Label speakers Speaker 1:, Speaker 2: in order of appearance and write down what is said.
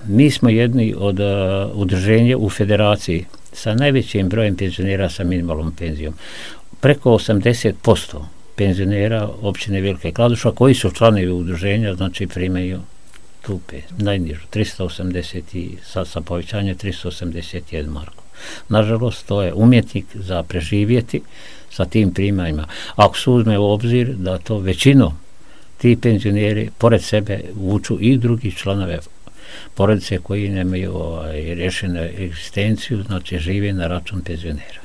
Speaker 1: Mi smo jedni od udruženja u federaciji sa najvećim brojem penzionera sa minimalnom penzijom. Preko 80% penzionera općine Velika Kladuša koji su članovi udruženja, znači primaju tu najnižu, 380 i sa povećanjem 381 marku. Nažalost, to je umjetnik za preživjeti sa tim primanjima. Ako se uzme u obzir da to većinom ti penzioneri pored sebe vuču i drugi članove porodice koji nemaju rješenu egzistenciju, znači žive na račun penzionera.